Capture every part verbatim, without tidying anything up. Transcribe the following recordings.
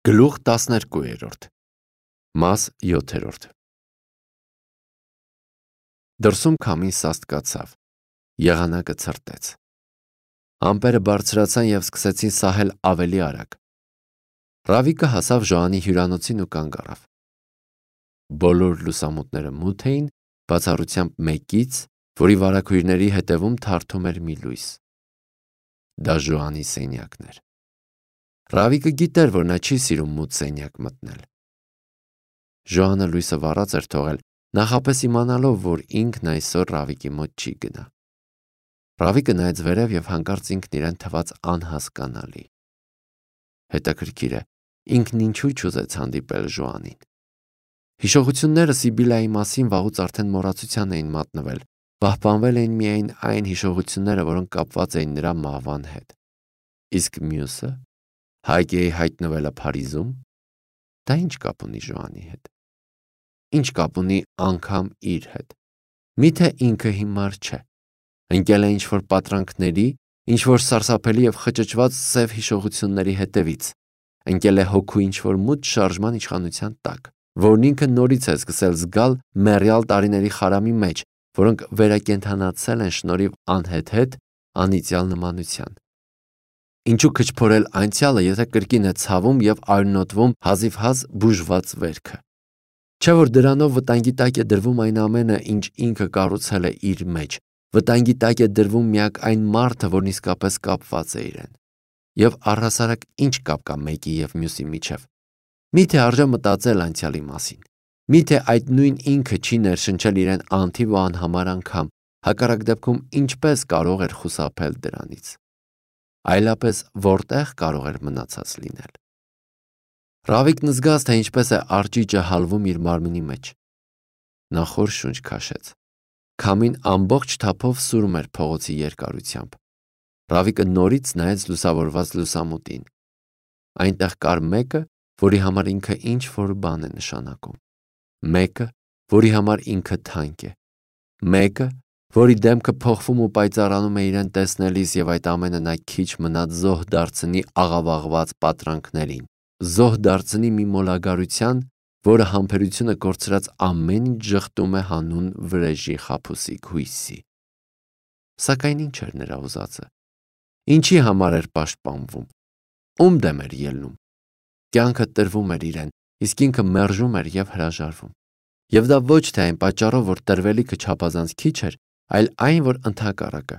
Գլուխ տասներկուերորդ Մաս յոթերորդ Դրսում քամին սաստկացավ, եղանակը ցրտեց։ Ամպերը բարձրացան և սկսեցին սահել ավելի արագ։ Ռավիկը հասավ Ժոանի հյուրանոցին ու կանգ առավ։ Բոլոր լուսամուտները մութ էին, բացառությամբ մեկից, որի վարագույրների հետևում թարթում էր մի լույս։ Դա Ժոանի սենյակն էր։ Ռավիկը գիտեր, որ նա չի սիրում մութ սենյակ մտնել։ Ժոանը լույսը վառած էր թողել, նախապես իմանալով, որ ինքն այսօր Ռավիկի մոտ չի գնա։ Ռավիկը նայեց վերև և հանկարծ ինքն իրեն թվաց անհասկանալի։ Հետաքրքիր է, ինքն ինչու չուզեց հանդիպել Ժոանին։ Հիշողությունները Սիբիլայի մասին վաղուց արդեն մոռացության էին մատնվել, պահպանվել էին միայն այն հիշողությունները, որոնք կապված էին նրա մահվան հետ։ Իսկ մյուսը՝ Հայգեի հայտնվելը Փարիզում, դա ինչ կապ ունի Ժոանի հետ։ Ինչ կապ ունի անգամ իր հետ։ Միթե ինքը հիմար չէ։ Ընկել է ինչ-որ պատրանքների, ինչ-որ սարսափելի և խճճված սև հիշողությունների հետևից։ Ընկել է հոգու ինչ-որ մութ շարժման իշխանության տակ, որն ինքը նորից է սկսել զգալ մեռյալ տարիների խարամի մեջ, որոնք վերակենդանացել են շնորհիվ անհեթեթ անիծյալ նմանության։ Ինչու քչփորել անցյալը, եթե կրկին է ցավում և արյունոտվում հազիվհազ բուժված վերքը։ Չէ՞ որ դրանով վտանգի տակ է դրվում այն ամենը, ինչ ինքը կառուցել է իր մեջ, վտանգի տակ է դրվում միակ այն մարդը, որն իսկապես կապված է իրեն։ Եվ առհասարակ ինչ կապ կա մեկի և մյուսի միջև։ Միթե արժե մտածել անցյալի մասին։ Միթե այդ նույն ինքը չի ներշնչել իրեն անթիվ ու անհամար անգամ, հակառակ դեպքում ինչպե՞ս կարող էր խուսափել դրանից։ Այլապես որտե՞ղ կարող էր մնացած լինել։ Ռավիկն զգաց, թե ինչպես է արճիճը հալվում իր մարմնի մեջ։ Նա խոր շունչ քաշեց։ Քամին ամբողջ թափով սուրում էր փողոցի երկարությամբ։ Ռավիկը նորից նայեց լուսավորված լուսամուտին։ Այնտեղ կար մեկը, որի համար ինքը ինչ-որ բան է նշանակում։ Մեկը, որի համար ինքը թանկ է։ Մեկը, որի դեմքը փոխվում ու պայծառանում է իրեն տեսնելիս, և այդ ամենը նա քիչ մնաց զոհ դարձնի աղավաղված պատրանքներին, զոհ դարձնի մի մոլագարության, որը համբերությունը կորցրած ամեն ինչ ժխտում է հանուն վրեժի խաբուսիկ հույսի։ Սակայն ինչ էր նրա ուզածը։ Ինչի համար էր պաշտպանվում։ Ում դեմ էր ելնում։ Կյանքը տրվում էր իրեն, իսկ ինքը մերժում էր և հրաժարվում։ Եվ դա ոչ թե այն պատճառով, որ տրվելիքը չափազանց քիչ էր, այլ այն, որ ընդհակառակը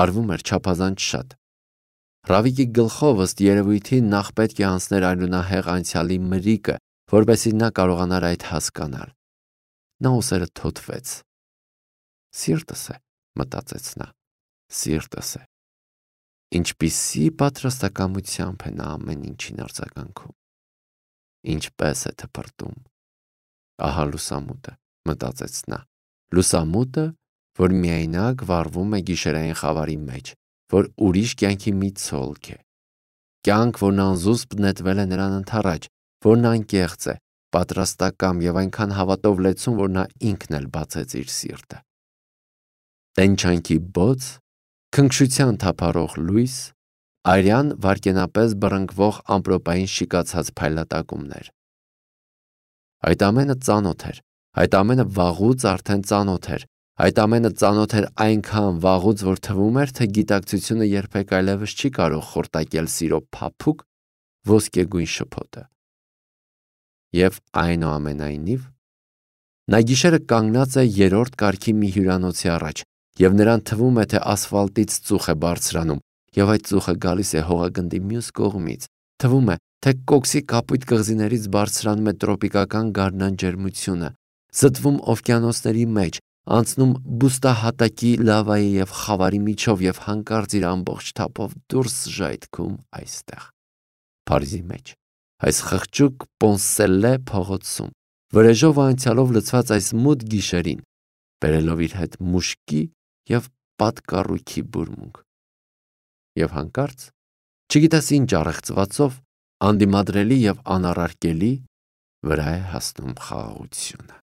արվում էր չափազանց շատ։ Ռավիկի գլխով ըստ երևույթի նախ պետք է անցներ արյունահեղ անցյալի մրիկը, որպեսզի նա կարողանար այդ հասկանալ։ Նա ուսերը թոթվեց։ Սիրտս է, մտածեց նա, սիրտս է։ Ինչպիսի պատրաստակամությամբ է նա ամեն ինչին արձագանքում։ Ինչպես է թփրտում։ Ահա լուսամուտը, մտածեց նա, լուսամուտը, որ միայնակ վառվում է գիշերային խավարի մեջ, որ ուրիշ կյանքի մի ցոլք է։ Կյանք, որն անզուսպ նետվել է նրան ընդառաջ, որն անկեղծ է, պատրաստակամ և այնքան հավատով լեցուն, որ նա ինքն էլ բացեց իր սիրտը։ Տենչանքի բոց, քնքշության թափառող լույս, արյան վայրկենապես բռնկվող ամպրոպային շիկացած փայլատակումներ։ Այդ ամենը ծանոթ էր, այդ ամենը վաղուց արդեն ծանոթ էր, այդ ամենը ծանոթ էր այնքան վաղուց, որ թվում էր, թե գիտակցությունը երբեք այլևս չի կարող խորտակել սիրո փափուկ ոսկեգույն շփոթը։ Եվ այնուամենայնիվ, նա գիշերը կանգնած է երրորդ կարգի մի հյուրանոցի առաջ, և նրան թվում է, թե ասֆալտից ծուխ է բարձրանում, և այդ ծուխը գալիս է հողագնդի մյուս կողմից, թվում է, թե կոքսի կապույտ կղզիներից բարձրանում է տրոպիկական գարնան ջերմությունը, զտվում օվկիանոսների մեջ, անցնում բուստահատակի լավայի և խավարի միջով և հանկարծ իր ամբողջ թափով դուրս ժայթքում այստեղ, Փարիզի մեջ, այս խղճուկ Պոնսելլե փողոցում, վրեժով ու անցյալով լցված այս մութ գիշերին, բերելով իր հետ մուշկի և պատկառույքի բուրմունք։ Եվ հանկարծ, չգիտես ինչ առեղծվածով, անդիմադրելի և անառարկելի, վրա է հասնում խաղաղությունը։